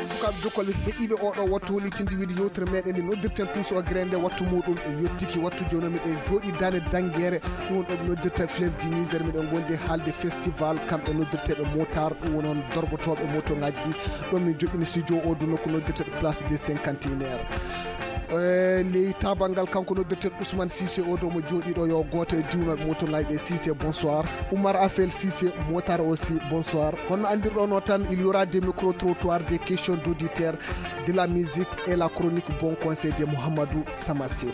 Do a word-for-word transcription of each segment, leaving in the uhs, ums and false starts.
Sukaaɓe jokkol heɗiiɓe oɗo wattu holitinde wiide yewtere meɗen nde noddirten tuuso o gere nde wattu muɗum e yottiki wattu jooni miɗen jooɗi dane dangere ɗum woni ɗo ɓe noddirta fleuve du niger miɗen gondi haalde festival kamɓe noddirteɓe motar ɗum woni on dorgotoɓe moto ngaji ɗi ɗo min joɗɗini studio o du nokku noddirteɓe place des cinquantenaire e ley tabal ngal kanko noddirten ousmane sise o dow mo jooɗiɗo yo gooto e diwnoɓe moto ngaji ɗe sise bonsoir. Oumar afel sise motar aussi bonsoir. Honno andirɗono tan il y aura des micro trottoirs, des questions d'auditeurs, de la musique et la chronique bon conseil de mouhamadou samasekou.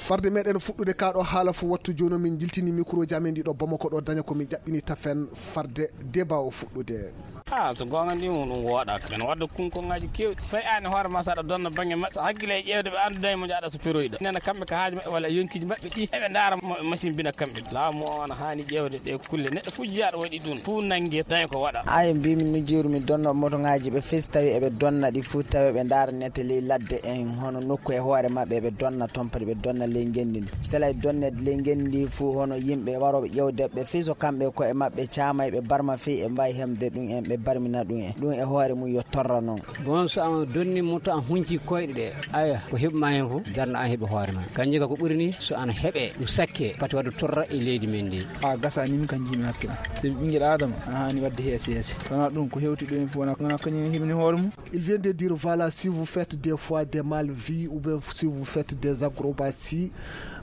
Farde meɗen fuɗɗude kaɗo haala fo wattu joni min jiltini microji amen ɗiɗo bamako ɗo daña komin ƴaɓɓini tafen farde deba o fuɗɗude. Ah, so goonga ndi mo ɗum wooɗaaka men wadda kunkongaji kewɗi fay an e hoore ma saɗa donna bangge maɓɓe hakkille e ƴeewde ɓe annduda e mo jaaɗa so peroyɗo nena kamɓe ka haaji maɓɓe walla yonkiji maɓɓe ɗi eɓe ndaara machine bina kamɓe laamu o ana haani ƴeewde ɗe kulle neɗɗo fujiyaɗo waɗi ɗum fu nangge tawi ko waɗa. Ayo mbimi nujjuru mi donno moto ngaji ɓe fes tawi eɓe donna ɗi fu tawi ɓe ndaara nete ley ladde en hono nokku e hoore maɓɓe eɓe donna toon padi ɓe donna ley ngenndi ndi selay donnede ley ngenndi ndi fu hono yimɓe waroɓe ƴewde ɓe fii so kamɓe ko e maɓɓe caamay ɓe barma fii e mbay hemde ɗum en ɓe barmina ɗum en ɗum e hoore mum yo torra noon. Bon so an donni moto an hunci koyɗe ɗe aya ko heɓma hen fof darna an heɓe hoore ma kanji ka ko ɓuri ni so an heɓe ɗum sakke pati wadde torra e leydi men ndi. A gasa ni min kan jimi hakkil so ɓingel adama ana hani wadde heesi heesi wona ɗum ko hewti ɗum en fof wona kañum heɓini hoore mum. Il vient de dire voilà si vous faites des fois des mal vie ou bien si vous faites des acrobaties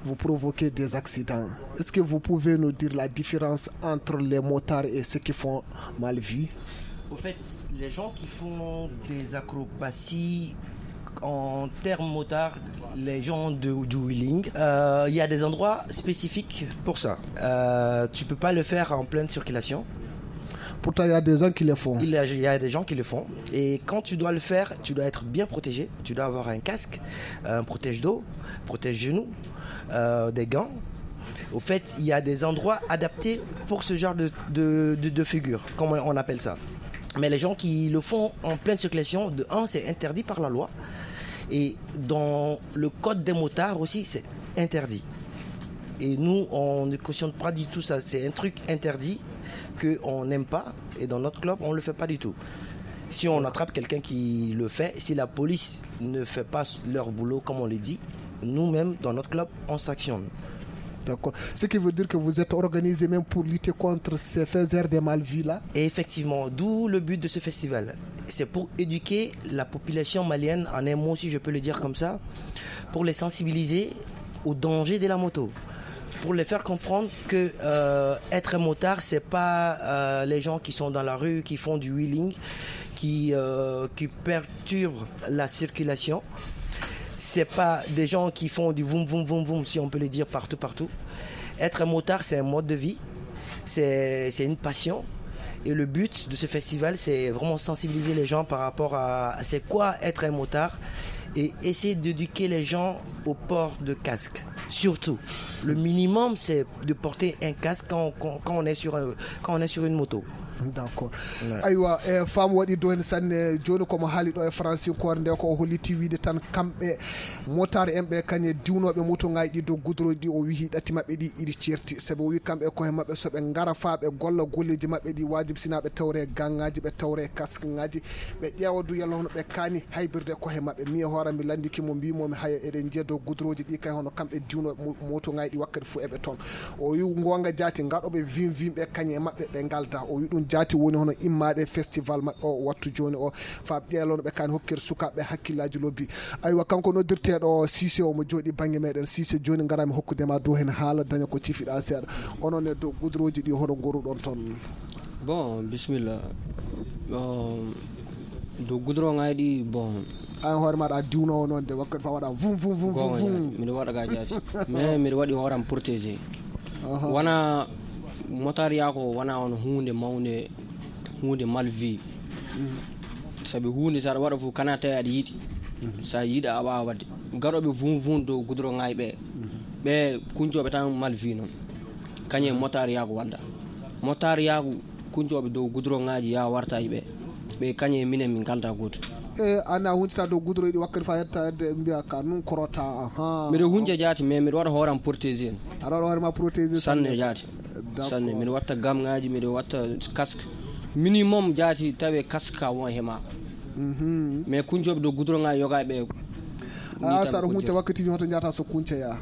vous provoquez des accidents. Est-ce que vous pouvez nous dire la différence entre les motards et ceux qui font mal vie? Au fait, les gens qui font des acrobaties en termes motards, les gens de, du wheeling, euh, il y a des endroits spécifiques pour ça. Euh, tu peux pas le faire en pleine circulation. Pourtant, il y a des gens qui le font. Il y a, il y a des gens qui le font. Et quand tu dois le faire, tu dois être bien protégé. Tu dois avoir un casque, un protège-dos, protège-genou, euh, des gants. Au fait, il y a des endroits adaptés pour ce genre de, de, de, de figure, comme on appelle ça. Mais les gens qui le font en pleine circulation, de un, c'est interdit par la loi. Et dans le code des motards aussi, c'est interdit. Et nous, on ne cautionne pas du tout ça. C'est un truc interdit qu'on n'aime pas. Et dans notre club, on ne le fait pas du tout. Si on attrape quelqu'un qui le fait, si la police ne fait pas leur boulot comme on le dit, nous-mêmes, dans notre club, on sanctionne. D'accord. Ce qui veut dire que vous êtes organisé même pour lutter contre ces faiseurs de mal vie là. Et effectivement, d'où le but de ce festival. C'est pour éduquer la population malienne, en un mot si je peux le dire comme ça, pour les sensibiliser au danger de la moto. Pour les faire comprendre que euh, être motard, c'est pas euh, les gens qui sont dans la rue, qui font du wheeling, qui, euh, qui perturbent la circulation. C'est pas des gens qui font du voum voum voum voum, si on peut le dire partout partout. Être motard, c'est un mode de vie, c'est une passion. Et le but de ce festival, c'est vraiment sensibiliser les gens par rapport à c'est quoi être un motard et essayer d'éduquer les gens au port de casque. Surtout, le minimum, c'est de porter un casque quand, quand, quand on est sur, un- quand on est sur une moto. D'accord. Aywa e faamu waɗi do heen sanne jooni komo haali ɗo e franci koore nde ko o holliti wiide tan kamɓe motaare en ɓe kañe diwnooɓe moto ngaji ɗi dow gudroji ɗi o wihi ɗatti maɓɓe ɗi iɗi ceerti sabi o wi kamɓe koye maɓɓe so ɓe ngara faa ɓe golla golleji maɓɓe ɗi wajibi sina ɓe tawre gangaji ɓe tawre kaske ngaji ɓe ƴeewa du yalla hono ɓe kaani haybirde koye maɓɓe mi e hoore mi landiki mo mbimomi haya eɗen njiya dow gudroji ɗi kay hono kamɓe diwnooɓe moto ngaji ɗi wakkati fof eɓe toon. O wi goonga jaati ngaɗooɓe vim vim ɓe kañe e maɓɓe ɓe ngalda o wi ɗum jaati woni hono immaade festival maɓɓe o wattu jooni o faa ɓe ƴeelono ɓe kaani hokkir sukaaɓe ɓe hakkillaaji lobbi. Aywa kanko noddirteeɗo sise omo jooɗi bannge meɗen sise jooni ngarami hokkude ma dow heen haala daña ko cifiɗa seeɗa onon e dow gudroji ɗi hono ngoruɗon toon. Bon bisimilla. Bon dow gudron ay ɗi bon. An hoore maɗa a diwnowo noon de wakkati fa waɗa vum vum vum vum vum. Miɗo waɗa ga jaati mais miɗo waɗi hooram protégé. Wona motariya ko wona on hunde mawnde hunde malvi. Sabi hunde saɗa waɗa fof kana tawi aɗa yiɗi. Sa yiɗa a wawa wadde gaɗoɓe vum vum dow gudron ay ɓe ɓe kuncoɓe tan malvi noon. Kañum e motariya ko wadda motariya ko kuncoɓe dow gudron ngaji ya warta e ɓe. Ɓe kañe e minen min ngalda gooto. E ana huncata dow gudro yiɗi wakkati fa yetta yedde mbiya ka nun korota. Aha. Miɗo hunca jaati, mais miɗo waɗa hooram protégé. Aɗa waɗa hoore ma protégé sanne jaati. D'accord. Sanne, miɗo watta gamŋaaji, miɗo watta casque. Minimum jaati tawe casque ka won he ma. Mhm. Mais kuncooɓe dow gudro ŋa yoga ɓe. A saɗa hunca wakkatiji hoto njata so kunca ya?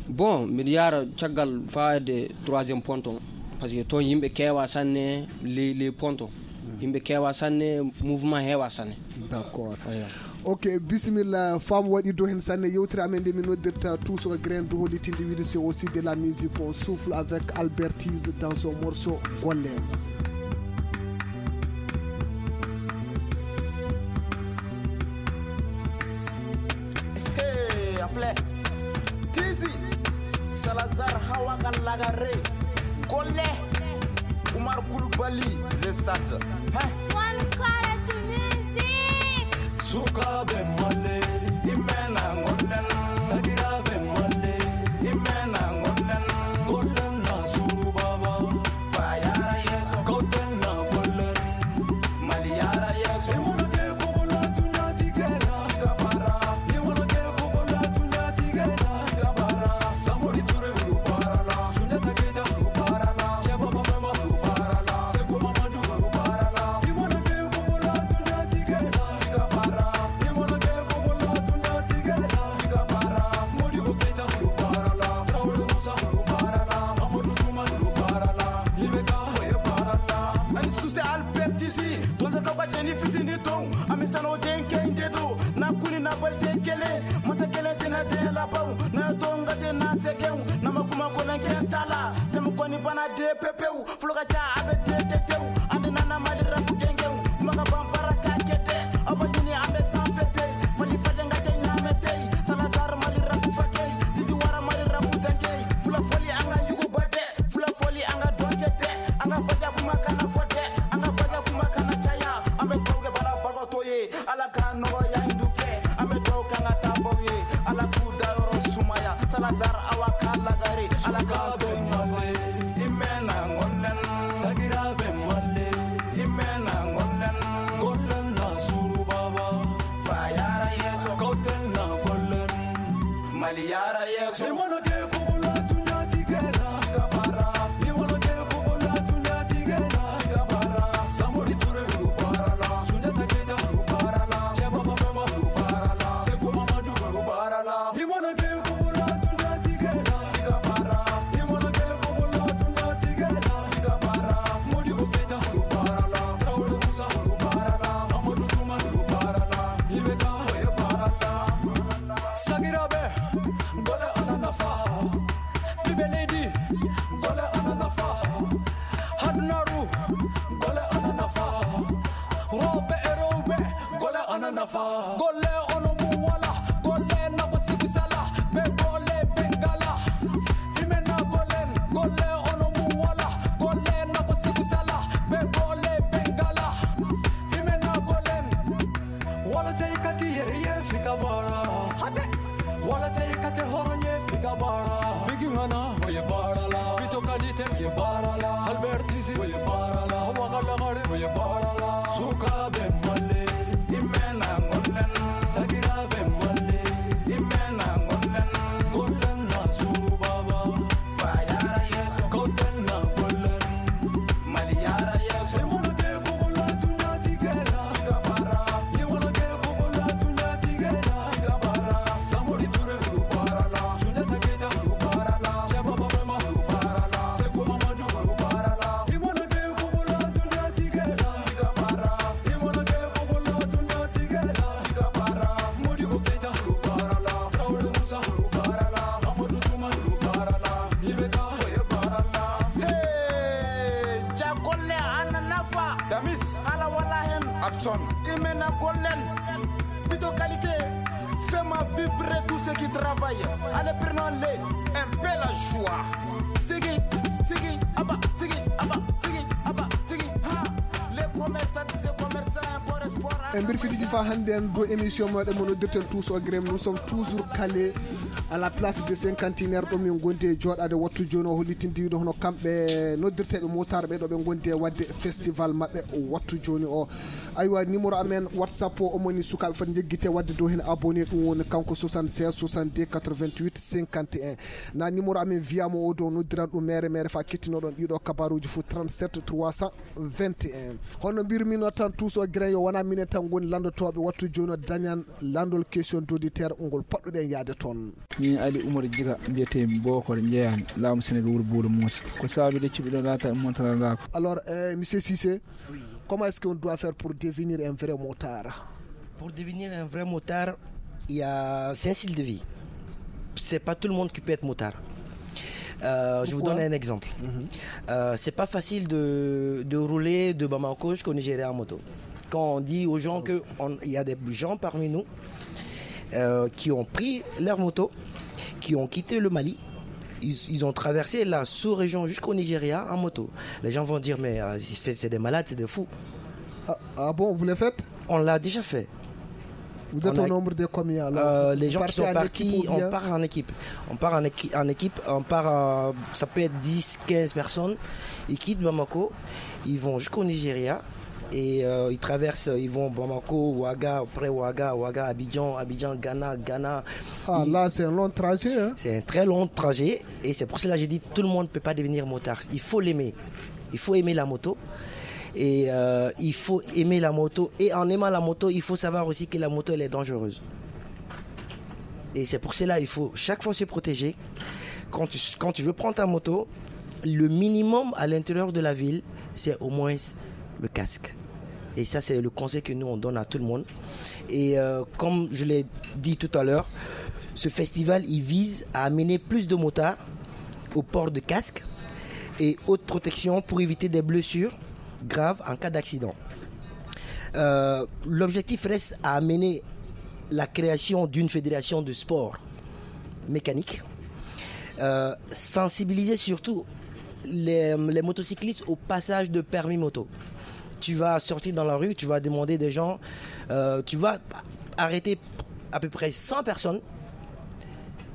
Bon, miɗo yaara caggal faade troisième ponton. Parce que toon yimɓe keewa sanne, les, les pontons. Yimɓe keewa sanne, mouvement heewa sanne. D'accord. Eyo. Ok, bisimilla, faamu waɗi dow heen sanne. Yewtere amen nde min noddirta Tous au grain, dow hollitinde wiide c'est aussi de la musique. On souffle avec Albert Tise dans son morceau Golle. Hey, afle. Tisi, Salazar, Hawa Gallagare, Golle, Umar Kulbali, Zesat. Hein? One quality music. Sukaɓe malle, imena gollen. Sagiraɓe malle, imena gollen. Gollen na suru baba. Fa yara yeso. Gollen na gollen. Mali yara yeso. Imono ke ko la dunya tigela. Fika bara. Imono ke ko la dunya tigela. Fika bara. Samori Ture Lubarala. Sunjata Keita Lubarala. Cheba Baba Lubarala. Sekou Mamadou Lubarala. Imono ke ko la dunya tigela. Fika bara. Imono ke ko la dunya tigela. Fika bara. Modibo Keita Lubarala. Traoré Moussa Lubarala. Amadou Toumani Lubarala. Ibeka Lubarala. Ani suse Albert Tisi. Tonze kaka jeni fitini ton. Ami sano den kenje do. Na kuni na balte kele. Masa kele jena jela bau. Na donga jena segeu. Na makuma kolen ke tala. Temu koni bana de pepeu. Fulo ka ca a bɛ te te tew. An de nana Mali rap gɛngɛw. Kuma ka ban baara ka kɛ tɛ. Aw bɛ ɲini an bɛ sanfɛ tɛ. Fali fajɛ n ka cɛ ɲaamɛ tɛ. Salasar Mali rap fakɛ. Disi wara Mali rap sɛkɛ. Fula fɔli an ka yuguba tɛ. Fula fɔli an ka dɔnkɛ tɛ. An ka fasa kuma kana fɔ tɛ. An ka fasa kuma kana caya. An bɛ dugawu kɛ baarabagaw tɔ ye. Ala ka nɔgɔya in du kɛ. An bɛ dugawu kɛ an ka taabaw ye. Ala k'u dayɔrɔ sumaya. Salasar Awa ka lagare. Ala ka bɛ ɲɔgɔn ye. I mɛnna ŋɔlɛn. Sagira bɛ ŋɔlɛn. I mɛnna ŋɔlɛn. Ŋɔlɛn na suru baba. Fa yara yeso. Kauten na ŋɔlɛn. Mali yara yeso. I mana kɛ kogo la, dunya ti kɛ la. Fika bara. I mana kɛ kogo la, dunya ti kɛ la. Fika bara. Samori Ture lu bara la. Sunjata Keita lu bara la. Cɛ Baba Bɛma lu bara la. Seku Mamadu lu bara la. I mana kɛ kogo la, dunya ti kɛ la. Fika bara. I mana kɛ kogo la, dunya ti kɛ la. Fika bara. Modibo Keita lu bara la. Traoré Moussa lu bara la. Amadou Toumani lu bara la. I bɛ taa, o ye bara la. Sagira bɛ, gole ana nafa. Bibe lady, gole ana nafa. Hadunaru, gole ana nafa. Robe e robe, gole ana nafa. Gole ono mu wala, gole na ko sibi sala. Be gole bengala. Imena golen, gole ono mu wala, gole na ko sibi sala. Be gole bengala. Imena golen. Wala sai ka ki yere ye fika bara. Hate. Wala sai ka ke horo ye fika bara. Bigi ngana, oye bara la. Pito kalite, oye bara la. Albert Tisi, oye bara la. Waka lagare, oye bara la. Suka be male. Imena ngolen. Sagira be male. Imena ngolen. Ngolen na suru baba. Fa yara yeso. Kauten na golen. Mali yara yeso. E mono ke kogo la, dunya ti kɛ la. Fika bara. E mono ke kogo la, dunya ti kɛ la. Fika bara. Samori Ture lu bara la. Sunjata Keita lu bara la. Cɛ Baba Bɛma lu bara la. Seku Mamadu lu bara la. E mono ke kogo la, dunya ti kɛ la. Fika bara. E mono ke kogo la, dunya ti kɛ la. Fika bara. Modibo Keita lu bara la. Traoré Moussa lu bara la. Amadou Toumani lu bara la. Hey, ca golle ana nafa. Damis. Hala wala hen. Abson. Imena gollen. Pito qualité. Fais-moi vibrer tous ceux qui travaillent. Allez, prenons-les. Un peu la joie. Sigi, sigi, aba, sigi, aba, sigi, aba, sigi. Ha. Les commerçants, ces commerçants, import, export. E mbir fitiji fa hannde en dow émission meɗen mo noddirten Tous au Grême. Nous sommes toujours calés À la place de cinquantenaire ɗo min gondi e jooɗaade wattu jooni o, hollitinde wiide hono kamɓe noddirteeɓe motard ɓe ɗo ɓe gondi e waɗde festival maɓɓe wattu jooni o. Aywa, numéro amen WhatsApp o, omoni sukaaɓe foti njeggite waɗde dow heen abonné, ɗum woni kanko soixante-seize soixante-deux quatre-vingt-huit cinquante et un. Na numéro amen wiyamo o dow, noddiran ɗum mere mere fa kettinoɗon ɗiɗo kabaruji fof, trente-sept trois cent vingt et un. Hono mbirmi no tan, tuuso grain yo wona minen tan ngoni lanndotooɓe wattu jooni o, dañan lanndol question d'auditeur ngol poɗɗuɗen yaade toon. Min Ali Oumar Djiga mbiyetee Bokor Njeeyaan, laamu Senegal, wuro Buulo Muusa. Ko sababu de cuɓiɗo laata e montarandaako. Alors, euh, monsieur Cissé, comment est-ce qu'on doit faire pour devenir un vrai motard? Pour devenir un vrai motard, il y a cinq styles de vie. C'est pas tout le monde qui peut être motard. Euh, je vous donne un exemple. Euh, c'est pas facile de, de rouler de Bamako jusqu'au Nigeria en moto. Quand on dit aux gens que on- il y a des gens parmi nous euh, qui ont pris leur moto, qui ont quitté le Mali, ils, ils ont traversé la sous-région jusqu'au Nigeria en moto. Les gens vont dire, mais euh, c'est c'est des malades, c'est des fous. Ah, ah bon, vous le faites? On l'a déjà fait. Vous êtes au nombre de combien alors? Euh, les gens qui sont partis, on part en équipe. On part en, équi- en équipe, on part, euh, ça peut être dix, quinze personnes. Ils quittent Bamako, ils vont jusqu'au Nigeria et euh, ils traversent, ils vont Bamako, Ouaga, après Ouaga, Ouaga, Abidjan, Abidjan, Ghana, Ghana. Ah, là, c'est un long trajet, hein? C'est un très long trajet et c'est pour cela que j'ai dit tout le monde ne peut pas devenir motard. Il faut l'aimer. Il faut aimer la moto. Et euh, il faut aimer la moto. Et en aimant la moto, il faut savoir aussi que la moto, elle est dangereuse. Et c'est pour cela qu'il faut chaque fois se protéger. Quand tu, quand tu veux prendre ta moto, le minimum à l'intérieur de la ville, c'est au moins le casque. Et ça, c'est le conseil que nous, on donne à tout le monde. Et euh, comme je l'ai dit tout à l'heure, ce festival, il vise à amener plus de motards au port de casque et haute protection pour éviter des blessures graves en cas d'accident. Euh, l'objectif reste à amener la création d'une fédération de sport mécanique, euh, sensibiliser surtout les, les motocyclistes au passage de permis moto. Tu vas sortir dans la rue, tu vas demander des gens, euh, tu vas arrêter à peu près cent personnes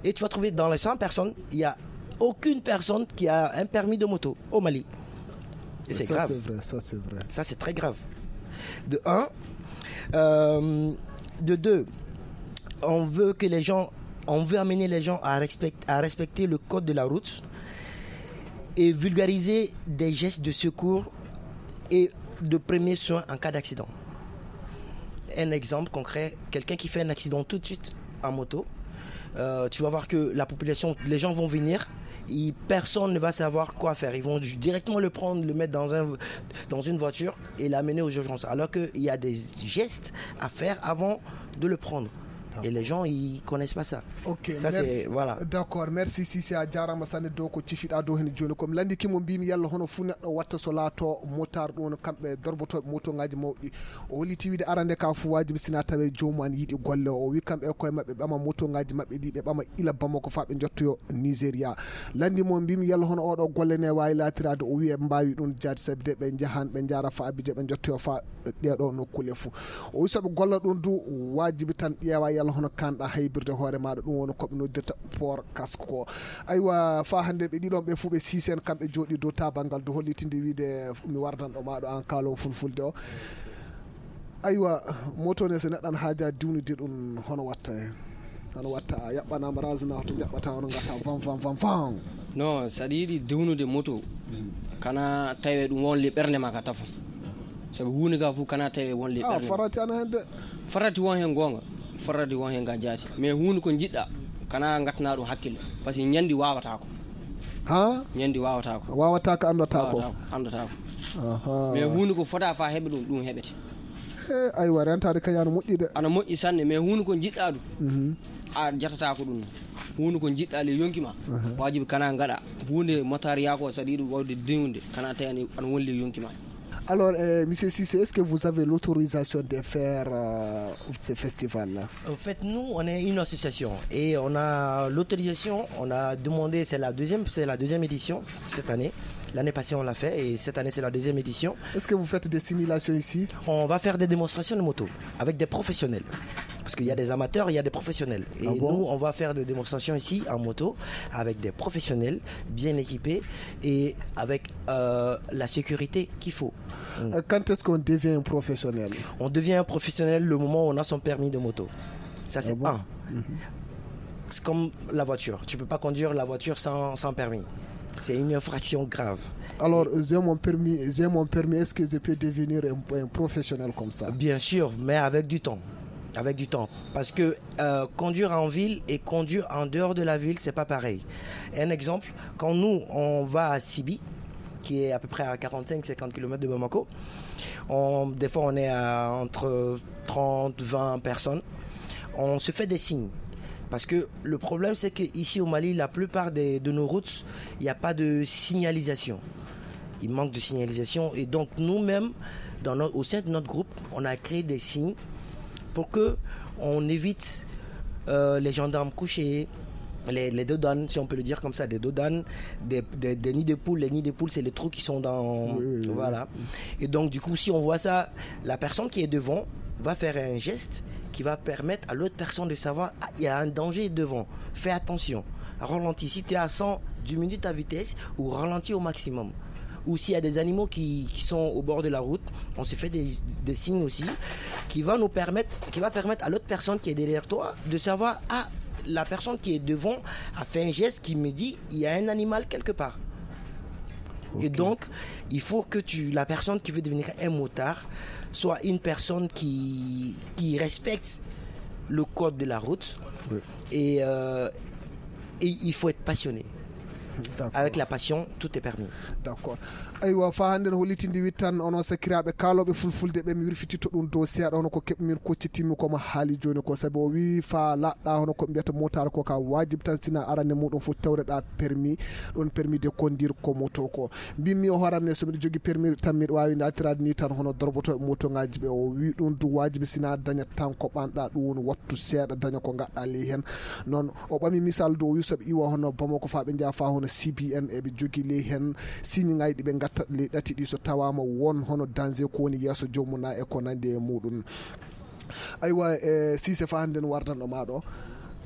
et tu vas trouver dans les cent personnes, il n'y a aucune personne qui a un permis de moto au Mali. Et c'est grave. Ça, c'est vrai, ça, c'est vrai. Ça, c'est très grave. De un. Euh, de deux, on veut que les gens, on veut amener les gens à, respect, à respecter le code de la route et vulgariser des gestes de secours et de premiers soins en cas d'accident. Un exemple concret, quelqu'un qui fait un accident tout de suite en moto, euh, tu vas voir que la population, les gens vont venir, et personne ne va savoir quoi faire. Ils vont directement le prendre, le mettre dans, un, dans une voiture et l'amener aux urgences. Alors qu'il y a des gestes à faire avant de le prendre. Et les gens, ils connaissent pas ça. Ok, ça, merci. Voilà. D'accord, merci Sisi, a jarama sanne dow ko cifiɗa dow hen joni. Komi landi kimo mbimi yalla hono fu neɗɗo watta so laato motar ɗum kamɓe dorbotoɓe moto ngaji mawɗi. O holliti wiide arande ka fu wajibi sina tawe joomu an yiɗi golle o wi kamɓe e koye maɓɓe ɓama moto ngaji maɓɓe ɗi ɓe ɓama ila Bamako fa ɓe jottoyo Nigeria. Landi mo mbimi yalla hono oɗo golle ne wawi latirade o wi ɓe mbawi ɗum jaade sabi de ɓe jahan ɓe jara fa Abidjan ɓe jottoyo fa ɗeɗo nokkule fu. O wi soɓe golla ɗum du wajibi tan ƴeewa yalla hono kanɗa haybirde hoore maɗa ɗum woni koɓe noddirta port casque ko. Aywa fa hande ɓe ɗiɗon ɓe fu ɓe sisen kamɓe jooɗi dow tabangal du hollitinde wiide mi wardanɗo maɗo an kaalo fulfulde o. Aywa, moto ne so neɗɗo an haaja diwnude ɗum hono watta hen? Hono watta a yaɓɓanama razna hoto jaɓɓata hono gatta van van van van? Non, saɗa yiɗi dewnude moto kana tawe ɗum wonle ɓernde ma ka tafon. Sabu huunde ka fof kana tawe wonle ɓernde ma. Farati ana hen de. Farati won hen goonga. Farati won hen ga jaati mais huunde ko jiɗɗa kana gattana ɗum hakkille. Par ce que ñandi wawatako. Ha? Ñandi wawatako. Wawata ko anndata ko. Anndata ko. Mais huunde ko fota fa heɓe ɗum ɗum heɓete. E aywa rentade kay ana moƴƴi de. Ana moƴƴi sanne mais huunde ko jiɗɗa ɗum. A jatata ko ɗum. Huunde ko jiɗɗa le yonki ma. Wajibi kana gaɗa huunde motariya ko saɗa yiɗi wawde dewnude kana tawi ana wonle yonki ma. Alors, euh, monsieur Cissé, est-ce que vous avez l'autorisation de faire euh, ce festival-là? En fait, nous, on est une association et on a l'autorisation, on a demandé, c'est la deuxième, c'est la deuxième édition cette année. L'année passée, on l'a fait et cette année, c'est la deuxième édition. Est-ce que vous faites des simulations ici? On va faire des démonstrations de moto avec des professionnels. Parce qu'il y a des amateurs, il y a des professionnels. Et nous, on va faire des démonstrations ici en moto avec des professionnels bien équipés et avec euh, la sécurité qu'il faut. Euh, Quand est-ce qu'on devient un professionnel? On devient un professionnel le moment où on a son permis de moto. Ça, c'est Ah bon? Un. C'est comme la voiture. Tu peux pas conduire la voiture sans, sans permis. C'est une infraction grave. Alors, j'ai mon permis, j'ai mon permis, est-ce que je peux devenir un, un professionnel comme ça? Bien sûr, mais avec du temps. Avec du temps. Parce que euh, conduire en ville et conduire en dehors de la ville, c'est pas pareil. Un exemple, quand nous, on va à Sibi, qui est à peu près à quarante-cinq cinquante kilomètres de Bamako, on, des fois on est à entre trente, vingt personnes, on se fait des signes. Parce que le problème, c'est qu'ici au Mali, la plupart des- de nos routes, il n'y a pas de signalisation. Il manque de signalisation. Et donc, nous-mêmes, dans notre- au sein de notre groupe, on a créé des signes pour que on évite euh, les gendarmes couchés, les, les dodanes, si on peut le dire comme ça, des dodanes, des, des- des nids de poules. Les nids de poules, c'est les trous qui sont dans. Oui, oui, oui. Voilà. Et donc, du coup, si on voit ça, la personne qui est devant va faire un geste qui va permettre à l'autre personne de savoir, ah, il y a un danger devant. Fais attention. Ralentis. Si tu es à cent, diminue ta vitesse ou ralentis au maximum. Ou s'il y a des animaux qui, qui sont au bord de la route, on se fait des, des signes aussi qui va nous permettre, qui va permettre à l'autre personne qui est derrière toi de savoir, ah, la personne qui est devant a fait un geste qui me dit, il y a un animal quelque part. Et donc, il faut que tu, la personne qui veut devenir un motard soit une personne qui, qui respecte le code de la route. Et, euh, et il faut être passionné. D'accord. Avec la passion, tout est permis. D'accord. Aywa, fa hannde no hollitinde wittan onon sakiraaɓe kaalooɓe fulfulde ɓe, mi wirfititto ɗum dow seeɗa hono ko keɓ min koccitimmi ko mo haali jooni ko, sabi o wii fa laaɗɗa hono ko mbiyata motaar ko ka waajib tan, sina arande muɗum fof tawreɗa permis, ɗon permis de conduire ko moto ko. Mbimmi o hooram ne, so miɗo jogi permis tan miɗo waawi naatirade ni tan hono dorboto moto ngaji ɓe. O wii ɗum du waajib sina daña tan ko ɓanɗa, ɗum woni wattu seeɗa daña ko gaɗɗa ley hen. Noon o ɓami misal dow yusoɓe iwa hono Bamako fa ɓe njaha fa hono C B N eɓe jogi ley hen signe ngaji ɗi ɓe gatta ley ɗati ɗi so tawama won hono danger ko woni yeeso joomum na e ko nandi e muɗum. Aywa, e sise fa hannde no wardanɗo ma ɗo,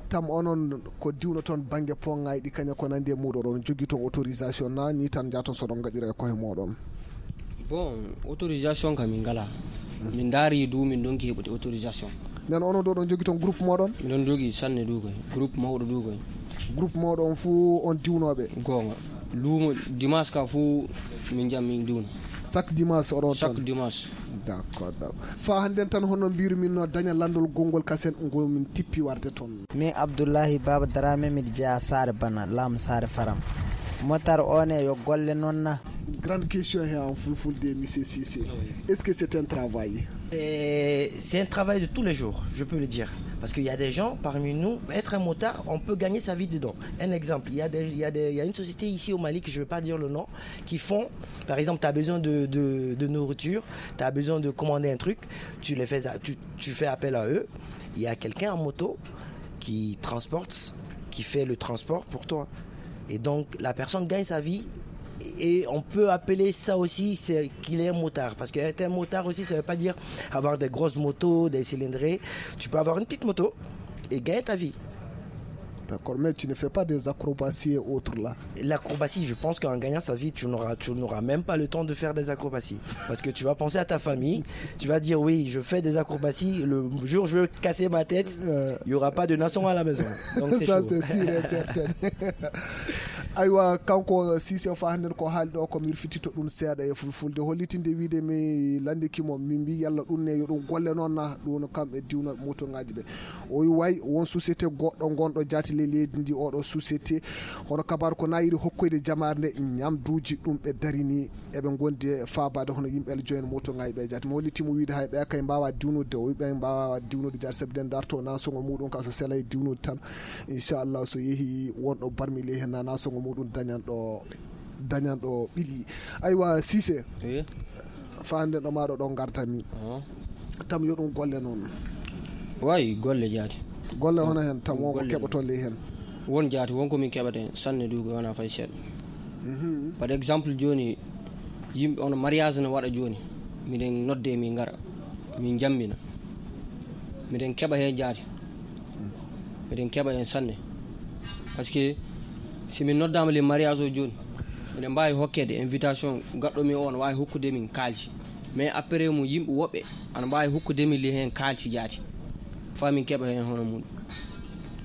tam onon ko diwno toon bannge pongay ɗi kaña ko nandi e muɗum, oɗon jogii toon autorisation na ni tan njaton soɗon ngaɗira e koye moɗon? Bon, autorisation kam min ngala. Min ndaari du min donki heɓude autorisation. Nden onon ɗo ɗon jogii toon groupe moɗon? Miɗon jogii sanne du koy, groupe mawɗo du koy. Groupe moɗon fuu on diwnooɓe? Goonga. Luumo dimanche ka fuu min jam min diwna. Chaque dimanche oɗon Chaque toon? Dimanche. D'accord, d'accord. Fa hannden tan hono mbiru min no daña lanndol gonngol kasen ngol min tippi warde toon. Min Abdullahi Baba Darame, miɗo jeyaa Saare Bana, laamu Saare Faram. Motar o ne yo golle noon na? Grande question he en fulfulde, monsieur Cissé. Est-ce que c'est un travail? Et c'est un travail de tous les jours, je peux le dire. Parce qu'il y a des gens parmi nous, être un motard, on peut gagner sa vie dedans. Un exemple, il y a, des- il y a des- il y a une société ici au Mali, que je ne vais pas dire le nom, qui font, par exemple, tu as besoin de, de- de nourriture, tu as besoin de commander un truc, tu, les fais, tu, tu fais appel à eux. Il y a quelqu'un en moto qui transporte, qui fait le transport pour toi. Et donc, la personne gagne sa vie. Et on peut appeler ça aussi, c'est qu'il est un motard. Parce qu'être un motard aussi, ça ne veut pas dire avoir des grosses motos, des cylindrées. Tu peux avoir une petite moto et gagner ta vie. D'accord, mais tu ne fais pas des acrobaties et autres là? L'acrobatie, je pense qu'en gagnant sa vie, tu n'auras, tu n'auras même pas le temps de faire des acrobaties. Parce que tu vas penser à ta famille, tu vas dire, oui, je fais des acrobaties, le jour où je vais casser ma tête, Euh, il n'y aura pas de nation à la maison. Donc c'est Ça, chaud. C'est sûr et certain. Aywa, kanko Cissé, fa hannden ko haali ɗo ko mi wirfititto ɗum seeɗa e fulfulde, hollitinde wiide mi lanndiki mo, mi mbi yalla ɗum ne yo ɗum golle noon na, ɗum kam e diwna moto ngaji ɓe. O wi way won société goɗɗo gonɗo jaati ley leydi ndi, oɗo société hono kabaru ko na yiɗi hokkoyde jamaare nde ñamduuji ɗum ɓe darini, eɓe ngondi e faabaade hono yimɓe ele joyen moto ngaji ɓe jaati. Mi holliti mo wiide hay ɓe kay mbawa diwnude, o wi ɓe mbawa diwnude jaati sabi den darto na sogo muɗum ka so selay diwnude tan. Inchallah, so yehi wonɗo barmi ley hen na, na sogo muɗum dañanɗo, dañanɗo ɓili. Aywa, Cissé, Oui. fa hannden ɗo maɗo ɗo gardami. Ah. Tam yo ɗum golle noon. Wayi golle jaati. Golle hono hen tam won ko Golle. Keɓoton ley hen? Won jaati, won ko min keɓata hen sanne du ko wona fay seeɗa. Mhm. Par exemple jooni yimɓe ono mariage no waɗa jooni, miɗen nodde min ngara min jammina. Miɗen keɓa heen jaati. Miɗen keɓa heen sanne. Parce que si min noddaama le mariage o jooni, miɗen mbaawi hokkeede invitation gaɗɗo mi o, no waawi hokkude min kaalisi. Mais après mum, yimɓe woɓɓe ana mbaawi hokkude min li heen kaalisi jaati. Faa min keɓa heen hono mum.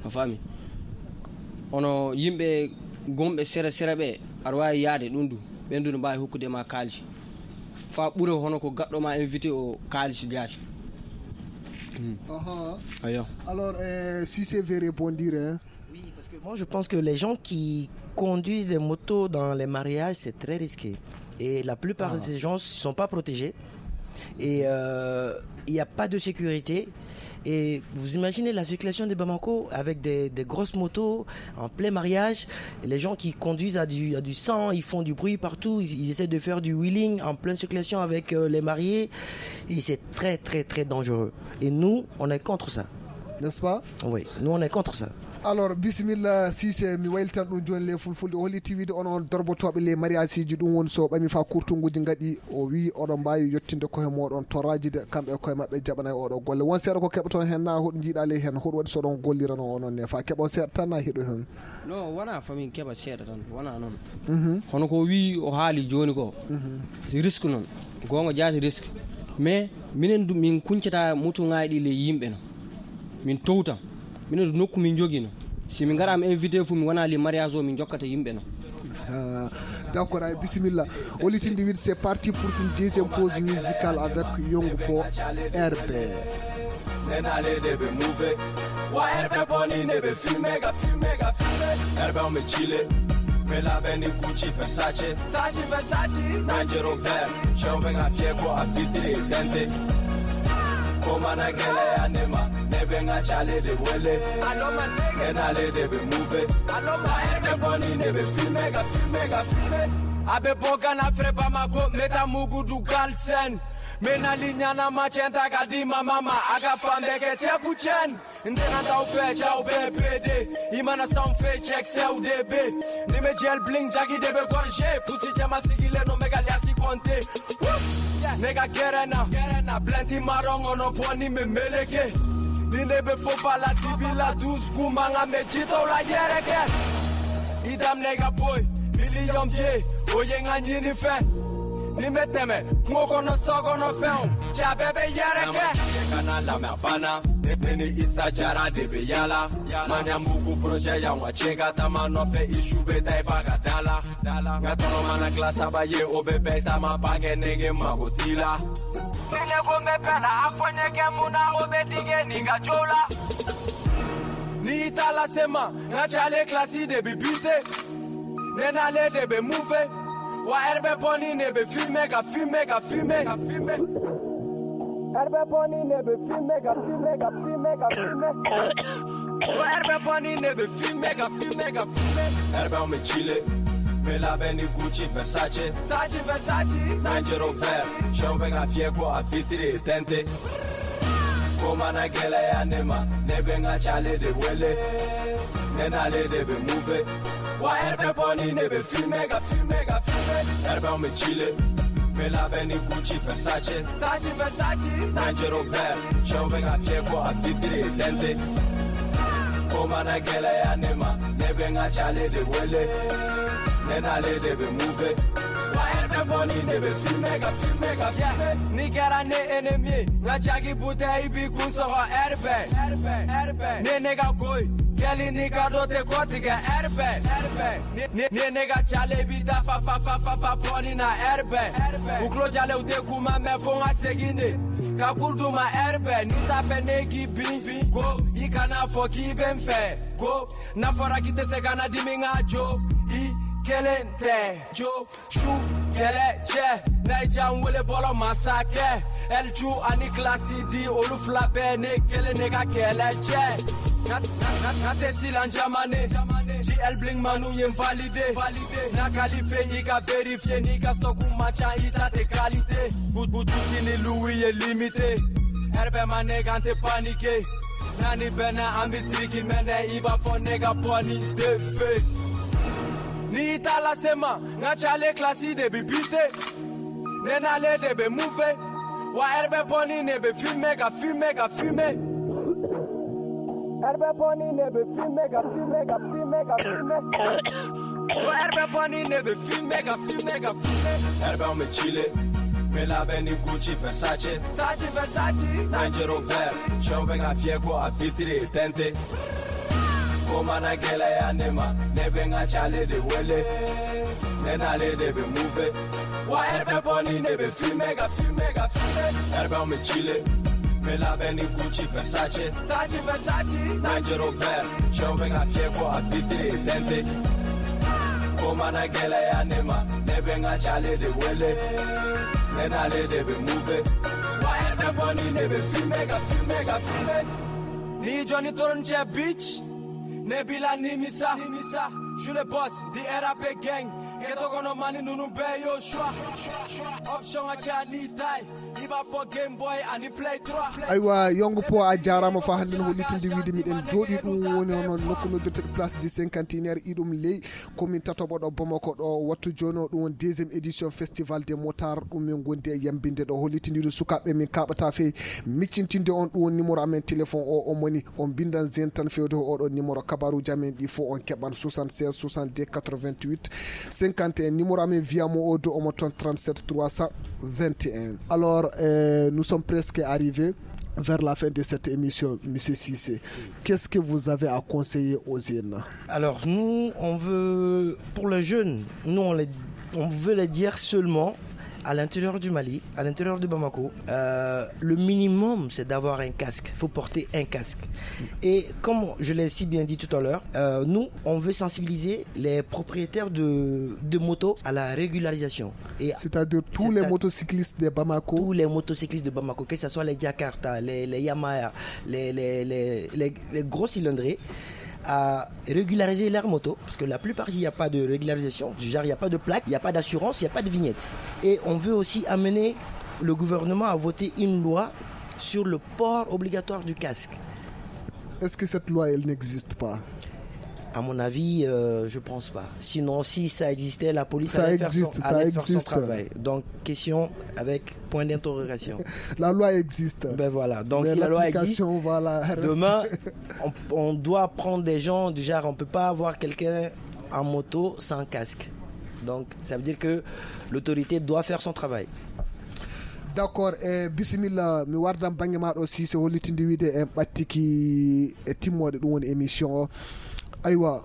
A faami? Hono yimɓe gonɓe sere sere ɓe, aɗa waawi yaade ɗum du. Ɓen du no mbaawi hokkude ma kaalisi. Faa ɓura hono ko gaɗɗo ma invité o kaalisi jaati. Hmm. Aha. Ayo. Alors, euh, si c'est vrai, rebondir, hein. Oui, parce que moi, je pense que les gens qui conduisent des motos dans les mariages, c'est très risqué. Et la plupart de ces gens ne sont pas protégés. Et euh, il n'y a pas de sécurité. Et vous imaginez la circulation de Bamako avec des, des grosses motos en plein mariage. Et les gens qui conduisent à du, à du sang, ils font du bruit partout. Ils, ils essaient de faire du wheeling en pleine circulation avec euh, les mariés. Et c'est très, très, très dangereux. Et nous, on est contre ça. N'est-ce pas? Oui, nous, on est contre ça. Alors, bisimilla, Sise, mi waylitan ɗum jooni le fulfulde. O holliti wiide on, on dorbotoɓe le mariage ji, ɗum woni so ɓami fa kurtunguji ngaɗi, o wi oɗon mbaawi yettinde koye moɗon to rajide, kamɓe e koye maɓɓe jaɓanay oɗo golle. Won seeɗa ko keɓoton hen na hoɗo jiiɗa ley hen, hoɗo waɗi so ɗon gollirano onon ne fa keɓon seeɗa tan na heɗo hen? No, wona famin keɓa seeɗa tan, wona noon. Mhm. Hono ko wi o haali jooni ko, mhm, si risque noon, goonga jaati risque. Mais minen du, min kuncata mutuŋaaji ɗi ley yimɓe no. Min towta. Minen du nokku min njogino. Si min ngaraama invité fof, mi wona li mariage o, min jokkata yimɓe no. Ah, d'accord, ay bisimilla. Olitinde wiide, c'est parti pour une deuxième pause musicale avec Yongu Po, R B. Nena le de be move. Wa R B boni ne be filme ga, filme ga, filme. R B on me chile. Me la beni Gucci, Versace. Sachi, Versace. Dangerous vert. Show me ga fiego a fitri tente. Koma na gele ya nema. Ne be nga chale de wele. Alo ma nega. Nena le de be move. Alo ma. Wa R B boni ne be filme ga, filme ga, filme. Abe boga na fre ba ma go. Meta mugu du galsen. Me na linya na machenta ga di ma mama. Aga pande ke chepu chen. Ndena daw fe jaw be pede. Imana sound fe check se u de be. Ni me gel bling jagi de be gorge. Pussy jama sigile no mega liasi konte. Nega gerena, gerena, plenty marongo no poni me meleke. Ni ne be fo pala tibi la douce kumanga me jito la yereke. Idam nega boy, million ye, oye nga nyini fe. Ni me teme, moko no sogo no fe. Cha bebe yereke. Kana la me bana, ni isa jara de be yala. Manya muku projet ya wa chega tama no fe issue be tai baga dala. Nga tɔnɔ mana tila saba ye, o bɛ bɛɛ taama ba kɛ nege mago t'i la. Nege ko bɛ bɛɛ la, a fɔ ɲɛgɛn mun na, o bɛ dingɛ nin ka jow la. N'i y'i ta lase ma, n ka cale kilasi de bi bite. Ne n'ale de bɛ mun fɛ? Wa ɛri bɛ bɔ ni ne bɛ filme ka filme ka filme ka filme. Ɛri bɛ bɔ ni ne bɛ filme ka filme ka filme ka filme. Wa ɛri bɛ bɔ ni ne bɛ filme ka filme ka filme. Ɛri bɛ an bɛ chile. Bɛ labɛn ni Gucci, Versace. Sachi, Versace. Dangerous vert. Sɛw bɛ ka fiyɛ ko a fitiri tɛnte. Ko mana gɛlɛya ne ma, ne bɛ n ka cale de wele. Ne n'ale de bɛ move. Wa ɛri bɛ bɔ ni ne bɛ filme ka filme ka filme. Ɛri bɛ an bɛ chile. Bɛ labɛn ni Gucci, Versace. Sachi, Versace. Dangerous vert. Sɛw bɛ ka fiyɛ ko a fitiri tɛnte. Ko mana gɛlɛya ne ma, ne bɛ n ka cale de wele. Ne n'ale de bɛ move. Wa ɛri bɛ bɔ ni ne bɛ filme ka filme ka filme. N'i kɛra ne ennemi ye, n ka jagi bouteille b'i kun sɔgɔ ɛri bɛɛ. Ɛri bɛɛ, ɛri bɛɛ. Ne ne ka ko ye, kɛli ni ka dɔ tɛ kɔtigɛ ɛri bɛɛ. Ɛri bɛɛ. Ni, ni, ni ne ka cale b'i ta fa, fa, fa, fa, fa, bɔ ni na ɛri bɛɛ. U tulo jalen, u tɛ kuma mɛn fo n ka segin de. Ka kuru d'u ma ɛri bɛɛ. N'i t'a fɛ ne k'i bin, bin. Ko, i kana fɔ k'i bɛ n fɛ. Ko, n'a fɔra k'i tɛ se ka na dimi n ka jo. I kelen tɛ. Jo, su, kɛlɛ, cɛ. N'a y'i diya n wele bɔlɔ masakɛ. Ɛli Ju ani Kilasi di, olu fila bɛɛ ne kelen ne ka kɛlɛ cɛ. N ka, n ka, n ka, n ka tɛ silan jamane. G L Bling Manu ye n valide. N'a kalife, i ka vérifier, n'i ka stock ma ca, i ta tɛ qualité. Bu-, boutique ni Louis ye limité. Ɛri bɛɛ ma ne kan tɛ paniquer. N'a ni bɛnna, an bɛ sigi mɛnɛ, i b'a fɔ ne ka bɔ ni defe. N'i y'i ta lase ma, n ka cale kilasi de bi bite. Ne n'ale de bɛ move. Wa ɛri bɛ bɔ ni ne bɛ filme ka filme ka filme. Herbe boni nebe filme ga filme ga filme ga filme. Herbe boni nebe filme ga filme ga filme. Herbe on me chile. Me la beni Gucci Versace. Sachi Versace. Range Rover. Show me ga fieko a fitri tente. Koma na gela ya nema. Nebe nga chale de wele. Nena le de be move. Wa herbe boni nebe filme ga filme ga filme. Herbe on me chile. Me la beni Gucci Versace. Sachi Versace. Range Rover. Show me nga fieko a fitri tente. Koma na gela ya nema. Nebe nga chale de wele. Nena le de be move. Wa herbe boni nebe filme ga filme ga filme. Ni Johnny Toron che bitch. Nebila Nimisa. Nimisa. Je le boss. The R A P gang. Ghetto kono mani nunu be yo shwa. Option a cha ni tai. Iba for Game Boy and he play trois. Aywa, Yongo Po, a jarama fa hannde no hollitinde wiide miɗen jooɗi ɗum woni hono nokku noddirteɗo Place du Cinquantenaire, iɗum ley commune tatoɓo ɗo Bamako ɗo. Wattu jooni o ɗum woni deuxième édition Festival des Motards, ɗum min gondi e yambinde ɗo, hollitinde wiide sukaaɓe min kaɓata fey miccintinde on. Ɗum woni numéro amen téléphone o, o moni on bindan zen tan fewde ko oɗo numéro. Kabaruji amen ɗi fof on keɓan soixante-seize soixante-deux quatre-vingt-huit cinquante et un. Numéro amen via mo o do omo toon trente-sept trois cent vingt et un. Alors, euh, nous sommes presque arrivés vers la fin de cette émission, Monsieur Cissé. Qu'est-ce que vous avez à conseiller aux jeunes? Alors, nous, on veut, pour les jeunes, nous, on, les, on veut les dire seulement, à l'intérieur du Mali, à l'intérieur de Bamako, euh, le minimum, c'est d'avoir un casque. Il faut porter un casque. Et comme je l'ai si bien dit tout à l'heure, euh, nous, on veut sensibiliser les propriétaires de, de motos à la régularisation. Et c'est-à-dire tous les motocyclistes de Bamako. Tous les motocyclistes de Bamako, que ce soit les Jakarta, les, les Yamaha, les, les, les, les, les gros cylindrés, à régulariser leur moto, parce que la plupart, il n'y a pas de régularisation, du genre, il n'y a pas de plaque, il n'y a pas d'assurance, il n'y a pas de vignette. Et on veut aussi amener le gouvernement à voter une loi sur le port obligatoire du casque. Est-ce que cette loi, elle n'existe pas? À mon avis, euh, je pense pas. Sinon, si ça existait, la police allait faire son, allait faire son travail. Donc, question avec point d'interrogation. La loi existe. Ben voilà. Donc, si la loi existe, voilà, demain, on, on doit prendre des gens, du genre, on peut pas avoir quelqu'un en moto sans casque. Donc, ça veut dire que l'autorité doit faire son travail. D'accord, e bisimilla, mi wardan bannge maa ɗo, Cissé, hollitinde wiide en ɓattiki e timmoode ɗum woni émission o. Aywa,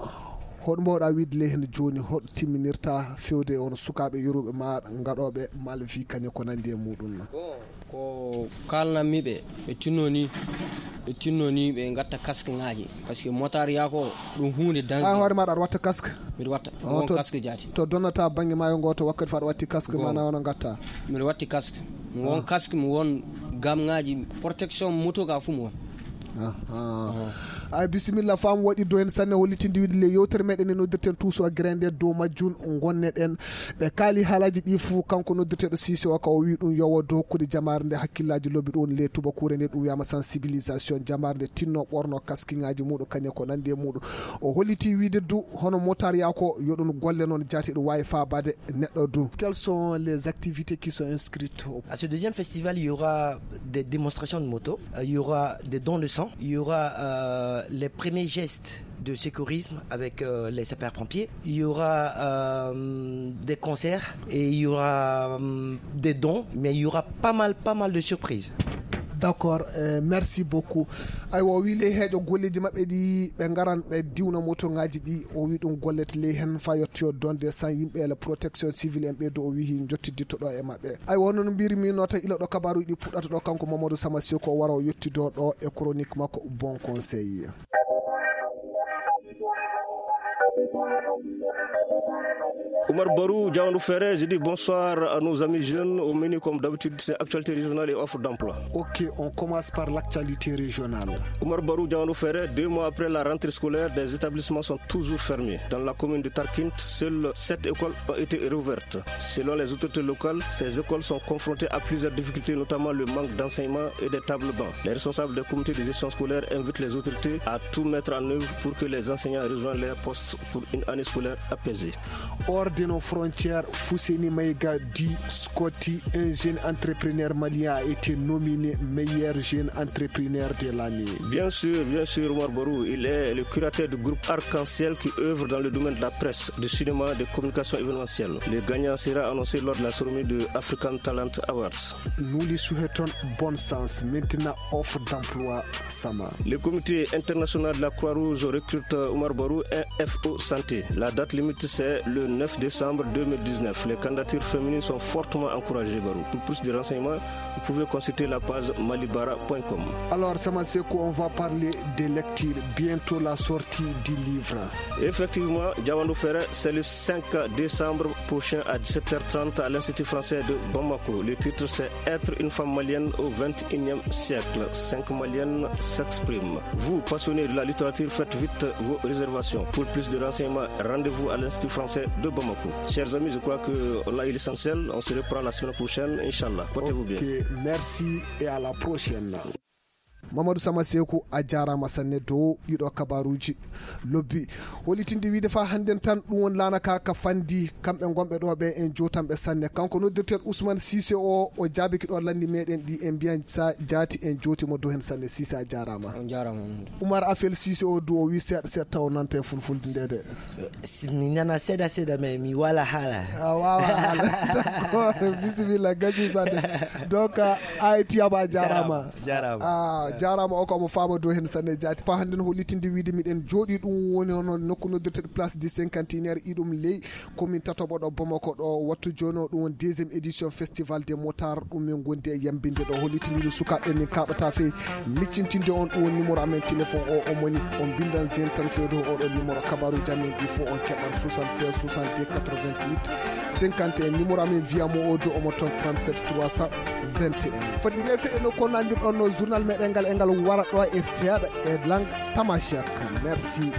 hoɗo mbaawɗaa wiide ley heen jooni, hoɗo timminirta fewde e on sukaaɓe yoruɓe ma gaɗooɓe malvi kañe ko nanndi e muɗum? Bon, ko kaalanammi ɓe, ɓe tinno ni, ɓe tinno ni ɓe ngatta casque ŋaaji, parce que motard yaa ko ɗum huunde dangereux. An hoore maaɗa aɗa watta casque? Miɗo watta. Won to casque jaati. To donnata bannge maayo ngo to wakkati fa aɗa watti casque ma na wono ngatta? Miɗo watti casque. Won casque, mi won gamŋaaji protection moto ga fuu mi won. Ay, bisimilla, faamu waɗi do heen sanne, hollitinde wiide le yewtere meɗen e noddirten tuuso grinde dow majjum ngonneɗen. Ɓe kaali haalaaji ɗi fuu, kanko noddirteeɗo Cissé o ka o wii ɗum yowo dow hokkude jamaare nde hakkillaaji lobbi ɗum le tubakuure nde ɗum wiyama sensibilisation, jamaare nde tinno ɓorno kaskiŋaaji muɗum kañe ko nanndi e muɗum. O holliti wiide du hono motard yaa ko yo ɗum golle noon jaati ɗum waawi faabaade neɗɗo du. Quelles sont les activités qui sont inscrites au... À ce deuxième festival, il y aura des démonstrations de moto, euh, il y aura des dons de sang, il y aura euh, les premiers gestes de secourisme avec euh, les sapeurs-pompiers. Il y aura euh, des concerts et il y aura euh, des dons, mais il y aura pas mal, pas mal de surprises. D'accord, euh, merci beaucoup. Aywa, o wii ley heeƴo golleeji maɓɓe ɗi, ɓe ngaran ɓe diwna motoŋaaji ɗi. O wii ɗum gollete ley heen fa yettoyo donde san yimɓe la protection civile en ɓe do o wii njottiditto ɗo e maɓɓe. Aywa, hono no mbirmi noon tan, ila ɗo kabaaruuji ɗi puɗɗata ɗo, kanko Mamadou Samassi ko wara o yettido ɗo e chronique makko Bon Conseil. Oumar Barou, Diaoundou Ferré, je dis bonsoir à nos amis jeunes au menu comme d'habitude, c'est actualité régionale et offre d'emploi. Ok, on commence par l'actualité régionale. Oumar Barou, Diaoundou Ferré, deux mois après la rentrée scolaire, des établissements sont toujours fermés. Dans la commune de Tarkint, seules sept écoles ont été rouvertes. Selon les autorités locales, ces écoles sont confrontées à plusieurs difficultés, notamment le manque d'enseignement et des tables bancs. Les responsables des comités de gestion scolaire invitent les autorités à tout mettre en œuvre pour que les enseignants rejoignent leur poste pour une année scolaire apaisée. Hors de Nos frontières, Fousseni Maïga dit Scotty, un jeune entrepreneur malien, a été nominé meilleur jeune entrepreneur de l'année. Bien sûr, bien sûr, Omar Barou, il est le curateur du groupe Arc-en-Ciel qui œuvre dans le domaine de la presse, du cinéma, des communications événementielles. Le gagnant sera annoncé lors de la cérémonie de African Talent Awards. Nous lui souhaitons bonne chance. Maintenant, offre d'emploi, Sama. Le comité international de la Croix-Rouge recrute, euh, Omar Barou, un F O santé. La date limite, c'est le neuf décembre deux mille dix-neuf. Les candidatures féminines sont fortement encouragées, Barou. Pour plus de renseignements, vous pouvez consulter la page malibara point com. Alors, Sama Sekou, on va parler des lectures. Bientôt la sortie du livre. Effectivement, Diawandou Ferret, c'est le cinq décembre prochain à dix-sept heures trente à l'Institut français de Bamako. Le titre, c'est Être une femme malienne au vingt et unième siècle. Cinq Maliennes s'expriment. Vous, passionnés de la littérature, faites vite vos réservations. Pour plus de renseignements, rendez-vous à l'Institut français de Bamako. Chers amis, je crois que on a eu l'essentiel. On se reprend la semaine prochaine, Inch'Allah. Portez-vous bien. Ok, merci et à la prochaine. Mamadou Sama Sekou, a jaaraama sanne dow ɗiɗo kabaruuji lobbi. Holitinde wiide faa hannden tan ɗum won laana ka ka fandi, kamɓe ngonɓe ɗo ɓe en jootanɓe sanne. Kanko noddirten Ousmane Cissé o, o jaabiki ɗo lanndi meɗen ɗi en mbiyan sa jaati en jooti mo dow heen sanne. Cissé, a jaaraama. On jaaraama, Mamadou. Oumar Afel Cissé o du o wi seeɗa seeɗa taw nanta e fulfulde nde de. Si mi nana seeɗa seeɗa, mais mi waala haala. A waawa haala. D'accord, bisimilla, gasi sanne. Donc, a, a e tiyaba, a jaaraama. Jaaraama. A jaaraama, o ko omo faama dow heen sanne jaati. Faa hannden holitinde wiide miɗen jooɗi ɗum woni hono nokku noddirteɗo Place du Cinquantenaire, iɗum ley commune tataɓo ɗo Bamako ɗo. Wattu jooni o ɗum woni deuxième édition Festival des Motards. Ɗum min gondi e yambinde ɗo holitinde sukaaɓe min kaɓata fey miccintinde on ɗum woni numéro amen téléphone o, o moni on mbindan zen tan fewde oɗo numéro. Kabaruuji amen ɗi fof on keɓan soixante-seize soixante-deux quatre-vingt-huit cinquante et un. Numéro amen via mo o do omo toon trente-sept trois cent vingt et un. Foti jeefe e no ko nandir ɗon no journal meɗen ngal e ngal wara ɗo e seeɗa e langue tamashek. Merci.